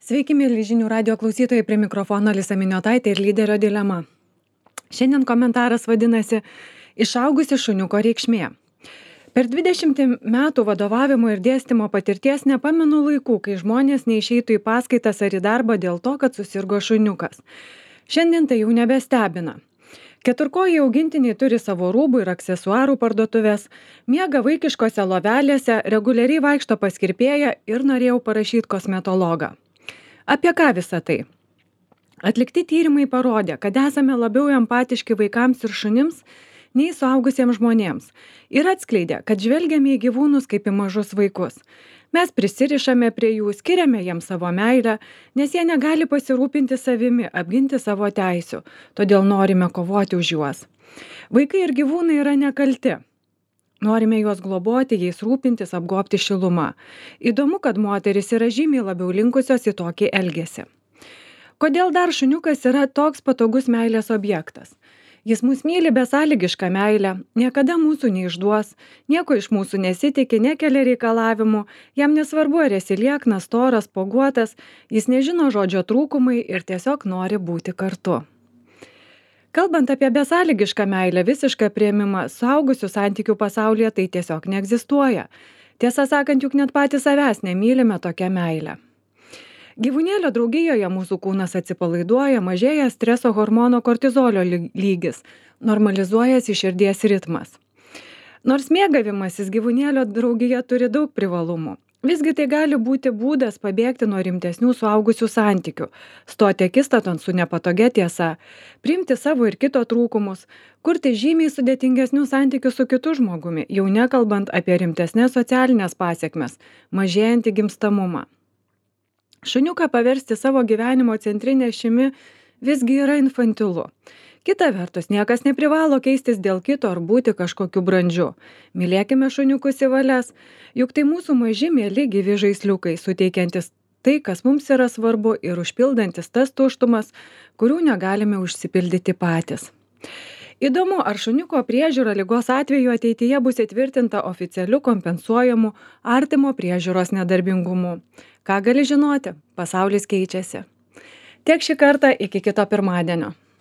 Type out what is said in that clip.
Sveiki, mėly žinių radio klausytojai, prie mikrofono Alisa Miniotaitė ir lyderio dilema. Šiandien komentaras vadinasi Išaugusi šuniuko reikšmė. Per 20 metų vadovavimo ir dėstymo patirties nepamenu laikų, kai žmonės neišeitų į paskaitas ar į darbą dėl to, kad susirgo šuniukas. Šiandien tai jau nebestebina. Keturkojai augintiniai turi savo rūbų ir aksesuarų parduotuvės, miega vaikiškose lovelėse, reguliariai vaikšto pas kirpėją ir norėjau parašyti kosmetologą. Apie ką visa tai? Atlikti tyrimai parodė, kad esame labiau empatiški vaikams ir šunims nei suaugusiems žmonėms ir atskleidė, kad žvelgiame į gyvūnus kaip į mažus vaikus. Mes prisirišame prie jų, skiriame jiems savo meilę, nes jie negali pasirūpinti savimi, apginti savo teisių, todėl norime kovoti už juos. Vaikai ir gyvūnai yra nekalti. Norime juos globoti, jais rūpintis, apgobti šiluma. Įdomu, kad moteris yra žymiai labiau linkusios į tokį elgesį. Kodėl dar šuniukas yra toks patogus meilės objektas? Jis mus myli besąlygišką meilę, niekada mūsų neišduos, nieko iš mūsų nesitikė, nekelia reikalavimų, jam nesvarbu, ar esi lieknas, storas, poguotas, jis nežino žodžio trūkumai ir tiesiog nori būti kartu. Kalbant apie besąlygišką meilę, visišką priėmimą, suaugusių santykių pasaulyje tai tiesiog neegzistuoja. Tiesą sakant, juk net patys savęs nemylime tokią meilę. Gyvūnėlio draugijoje mūsų kūnas atsipalaiduoja, mažėja streso hormono kortizolio lygis, normalizuojasi širdies ritmas. Nors mėgavimasis gyvūnėlio draugija turi daug privalumų. Visgi tai gali būti būdas pabėgti nuo rimtesnių suaugusių santykių, stoti akistaton su nepatogia tiesa, priimti savo ir kito trūkumus, kurti žymiai sudėtingesnių santykių su kitu žmogumi, jau nekalbant apie rimtesnės socialinės pasekmes, mažėjantį gimstamumą. Šuniuką paversti savo gyvenimo centrinė ašimi visgi yra infantilu. Kita vertus, niekas neprivalo keistis dėl kito ar būti kažkokiu brandžiu. Mylėkime šuniukus į valias, juk tai mūsų maži mieli gyvi žaisliukai, suteikiantis tai, kas mums yra svarbu ir užpildantis tas tuštumas, kurių negalime užsipildyti patys. Įdomu, ar šuniuko priežiūra ligos atveju ateityje bus įtvirtinta oficialiu kompensuojamu artimo priežiūros nedarbingumu. Ką gali žinoti? Pasaulis keičiasi. Tiek šį kartą, iki kito pirmadienio.